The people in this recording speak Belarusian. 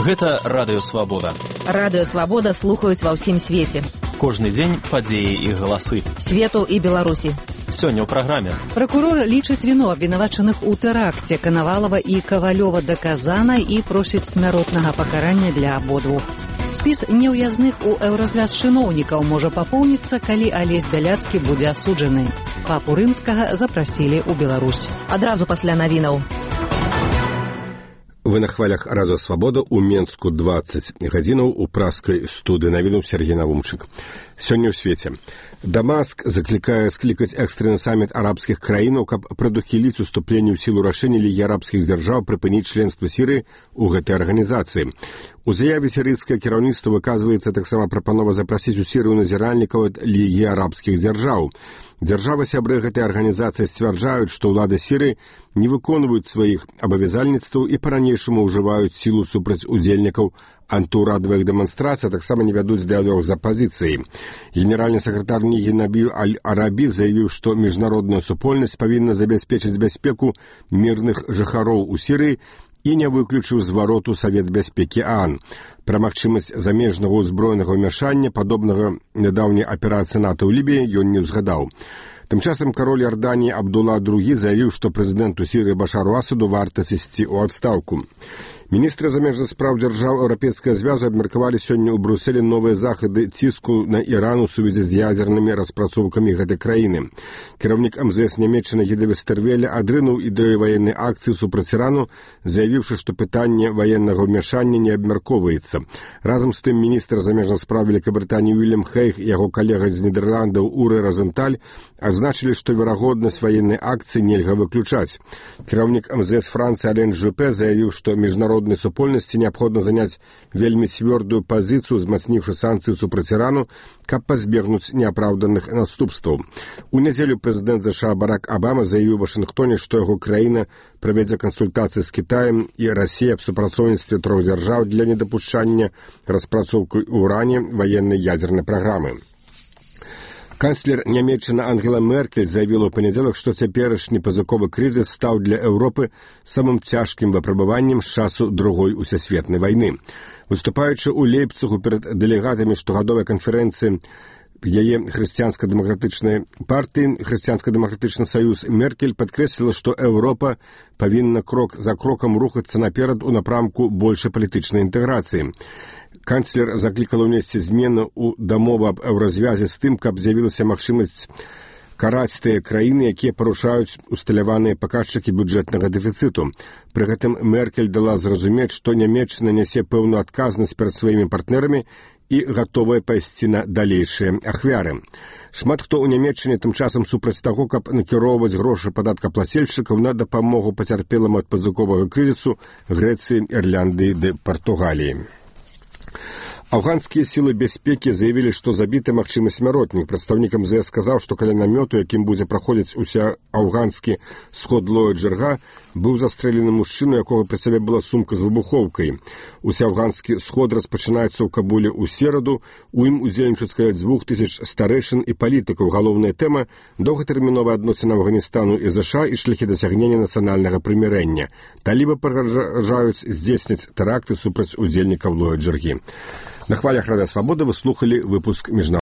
Гэта Радыё Свабода. Радыё Свабода слухаюць ва ўсім свеце. Кожны дзень падзеі і галасы. Свету і Беларусі. Сёння ў праграме. Пракурор лічыць віну абвінавачаных у тэракце Канавалова і Кавалёва даказана і просіць смяротнага пакарання для абодвух. Спіс неўязных у еўразвяз чыноўнікаў можа папоўніцца, калі Алесь Бяляцкі будзе асуджаны. Папу Рымскага запрасілі ў Беларусь. Адразу пасля навінаў. Вы на хвалях Радыё Свабода ў Менску 20 гадзінаў у праскай студыі навінуў Сергей Навумчык. Сёння ў свеце. Дамаск заклікае склікаць экстраны саміт арабскіх краінаў, каб прадухіліць уступленне ў сілу рашэння Лігі арабскіх дзяржаў прыпыніць членства Сірыі ў гэтай арганізацыі. У заяве сірыйскае кіраўніцтва выказваецца таксама прапанова запрасіць у Сірыю назіральнікаў ад Лігі арабскіх дзяржаў. Дзяржавы-сябры гэтай арганізацыі сцвярджаюць, што ўлады Сірыі не выконваюць сваіх абавязальніцтваў і па-ранейшаму ўжываюць сілу супраць удзельнікаў антыўрадавых дэманстрацый, а таксама не вядуць дыялог з апазіцыяй. Генеральны сакратар Лігі Набіль Аль-Арабі заявіў, што міжнародная супольнасць павінна забяспечыць бяспеку мірных жыхароў у Сірыі і не выключыў звароту Савет бяспекі ААН. Пра магчымасць замежнага ўзброенага ўмяшання, падобнага нядаўняй аперацыі НАТО ў Лібіі, ён не ўзгадаў. Тым часам кароль Іорданіі Абдулла II заявіў, што прэзідэнту Сірыі Башару Асаду варта сысці ў адстаўку. Міністры замежных спраў дзяржаў Еўрапейскага звязу абмеркавалі сёння ў Брюсселі новыя захады ціску на Іран у сувязі з ядзернымі распрацоўкамі гэтай краіны. Кіраўнік МЗС Нямецчыны Гіда Вестервеля адрынуў ідэю ваеннай акцыі супраць Ірану, заявіўшы, што пытанне ваеннага ўмяшання не абмяркоўваецца. Разам з тым міністр замежных спраў Великабрытаніі Уільям Хейг і яго калега з Нідерландаў Урэ Розенталь адзначылі, што верагоднасць ваеннай акцыі нельга выключаць. Кіраўнік МЗС Францыі Ален Жупе заявіў, што міжнароднай супольнасці неабходна заняць вельмі цвёрдую пазіцыю, узмацніўшы санкцыі супраць Ірану, каб пазбегнуць неапраўданых наступстваў. У нядзелю прэзідэнт США Барак Абама заявіў у Вашынгтоне, што яго краіна правядзе кансультацыі з Кітаем і Расіяй аб супрацоўніцтве трох дзяржаў для недапушчання распрацоўкай у Уране ваеннай ядзернай праграмы. Канцлер Нямецчыны Ангела Меркель заявіла ў панядзелак, што цяперашні пазыковы крызіс стаў для Еўропы самым цяжкім выпрабаваннем з часу Другой усесветнай вайны. Выступаючы ў Лейпцыгу перад дэлегатамі штогадовай канферэнцыі яе хрысціянска-дэмакратычнай партыі «Хрысціянска-дэмакратычны саюз», Меркель падкрэсліла, што Еўропа павінна крок за крокам рухацца наперад у напрамку большай палітычнай інтэграцыі. Канцлер заклікала ўнесці змены ў дамову аб еўразвязе з тым, каб з'явілася магчымасць караць тыя краіны, якія парушаюць усталяваныя паказчыкі бюджэтнага дэфіцыту. Пры гэтым Меркель дала зразумець, што Нямецчына нясе пэўную адказнасць перад сваімі партнерамі і гатовая пайсці на далейшыя ахвяры. Шмат хто ў Нямецчыне тым часам супраць таго, каб накіроўваць грошы падаткаплацельшчыкаў на дапамогу пацярпелым ад пазыковага крызісу Грэцыі, Ірландыі ды Партугаліі. Афганскія сілы бяспекі заявілі, што забіты магчымы смяротнік. Прадстаўнік МЗС сказаў, што каля намёту, якім будзе праходзіць уся афганскі сход Лоя Джырга, быў застрэлены мужчына, якога пры сабе была сумка з выбухоўкай. Уся афганскі сход распачынаецца ў Кабуле ў сераду. У ім удзельнічаюць каля 2000 старэйшын і палітыкаў. Галоўная тэма – доўгатэрміновая адносіна Афганістanu і ЗША і шляхі дасягнення нацыянальнага прымірэння. Талібы пагражаюць здзейсніць тэракты супраць удзельнікаў Лоя Джыргі. На хвалях Радыё Свабода вы слухали выпуск